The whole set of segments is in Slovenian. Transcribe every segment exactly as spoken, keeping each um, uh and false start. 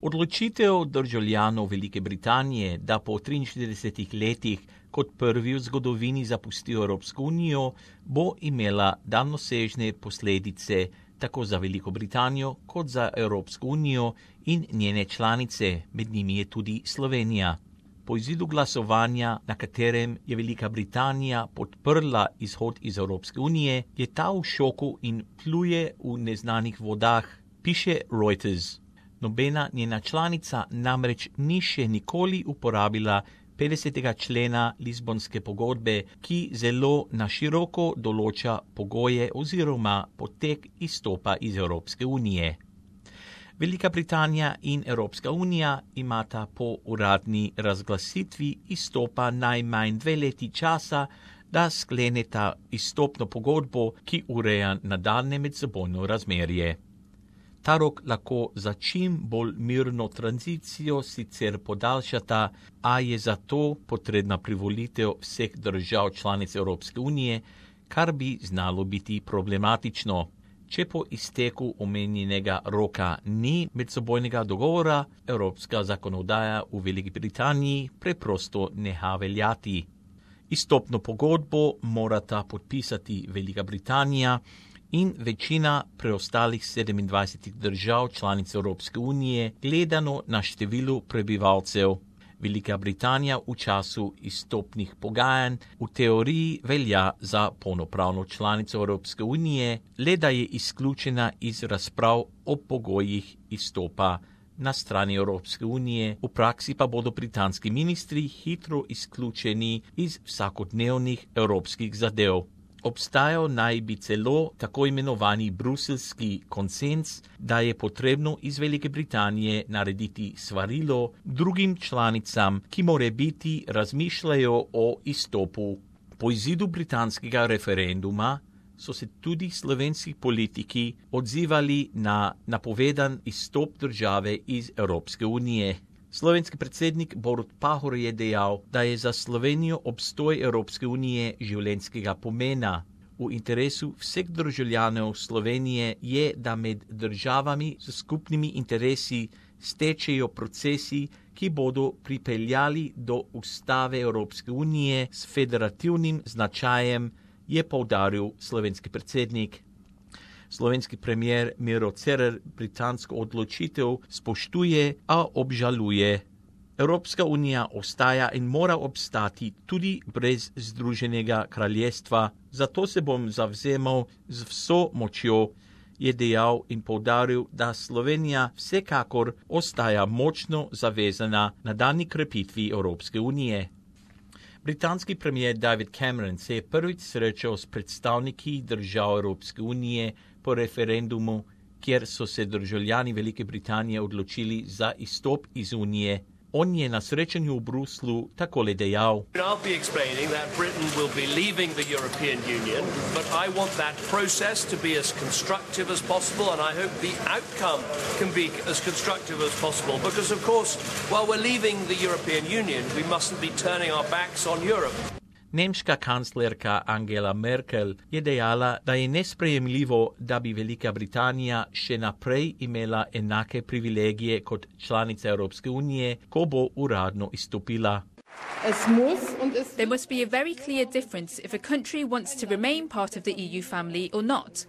Odločitev državljanov Velike Britanije, da po triinštiridesetih letih kot prvi v zgodovini zapustijo Evropsko unijo, bo imela daljnosežne posledice tako za Veliko Britanijo kot za Evropsko unijo in njene članice, med njimi je tudi Slovenija. Po izidu glasovanja, na katerem je Velika Britanija podprla izhod iz Evropske unije, je ta v šoku in pluje v neznanih vodah, piše Reuters. Nobena njena članica namreč ni še nikoli uporabila petdesetega člena Lizbonske pogodbe, ki zelo na široko določa pogoje oziroma potek izstopa iz Evropske unije. Velika Britanija in Evropska unija imata po uradni razglasitvi izstopa najmanj dve leti časa, da skleneta izstopno pogodbo, ki ureja nadaljnje medsebojno razmerje. Ta rok lahko za čim bolj mirno tranzicijo sicer podaljšata, a je zato potrebna privolitev vseh držav članic Evropske unije, kar bi znalo biti problematično. Če po izteku omenjenega roka ni medsebojnega dogovora, evropska zakonodaja v Veliki Britaniji preprosto neha veljati. Izstopno pogodbo morata podpisati Velika Britanija in večina preostalih sedemindvajsetih držav članic Evropske unije, gledano na število prebivalcev. Velika Britanija v času izstopnih pogajanj v teoriji velja za polnopravno članico Evropske unije, le da je izključena iz razprav o pogojih izstopa na strani Evropske unije, v praksi pa bodo britanski ministri hitro izključeni iz vsakodnevnih evropskih zadev. Obstajal naj bi celo tako imenovani bruselski konsens, da je potrebno iz Velike Britanije narediti svarilo drugim članicam, ki morebiti razmišljajo o izstopu. Po izidu britanskega referenduma so se tudi slovenski politiki odzivali na napovedan izstop države iz Evropske unije. Slovenski predsednik Borut Pahor je dejal, da je za Slovenijo obstoj Evropske unije življenjskega pomena. V interesu vseh državljanov Slovenije je, da med državami s skupnimi interesi stečejo procesi, ki bodo pripeljali do ustave Evropske unije s federativnim značajem, je poudaril slovenski predsednik. Slovenski premier Miro Cerar britansko odločitev spoštuje, a obžaluje. Evropska unija ostaja in mora obstati tudi brez Združenega kraljestva, zato se bom zavzemal z vso močjo, je dejal in poudaril, da Slovenija vsekakor ostaja močno zavezana nadaljnji krepitvi Evropske unije. Britanski premier David Cameron se je prvič srečal s predstavniki držav Evropske unije po referendumu, kjer so se državljani Velike Britanije odločili za izstop iz unije. On je na srečanju v Bruslu takole dejal. I'll be explaining that Britain will be leaving the European Union, but I want that process to be as constructive as possible, and I hope the outcome can be as constructive as possible, because of course, while we're leaving the European Union, we mustn't be turning our backs on Europe. Nemška kanclerka Angela Merkel je dejala, da je nesprejemljivo, da bi Velika Britanija še naprej imela enake privilegije kot članica Evropske unije, ko bo uradno izstopila. There must be a very clear difference if a country wants to remain part of the E U family or not.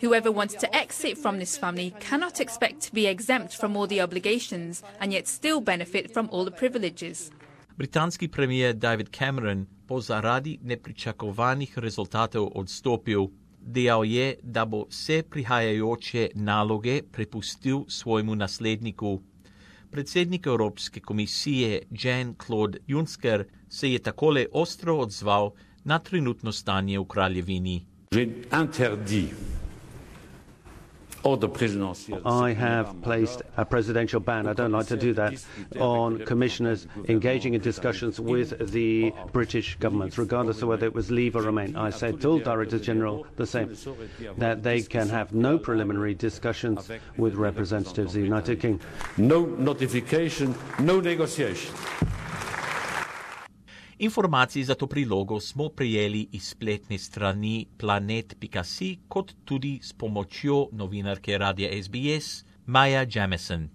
Whoever wants to exit from this family cannot expect to be exempt from all the obligations and yet still benefit from all the privileges. Britanski premier David Cameron bo zaradi nepričakovanih rezultatov odstopil. Dejal je, da bo vse prihajajoče naloge prepustil svojemu nasledniku. Predsednik Evropske komisije Jean-Claude Juncker se je takole ostro odzval na trenutno stanje v kraljevini. I have placed a presidential ban, I don't like to do that, on commissioners engaging in discussions with the British governments, regardless of whether it was leave or remain. I said to all Directors General the same, that they can have no preliminary discussions with representatives of the United Kingdom. No notification, no negotiation. Informacij za to prilogo smo prejeli iz spletne strani planet pika si, kot tudi s pomočjo novinarke radia S B S Maja Jamieson.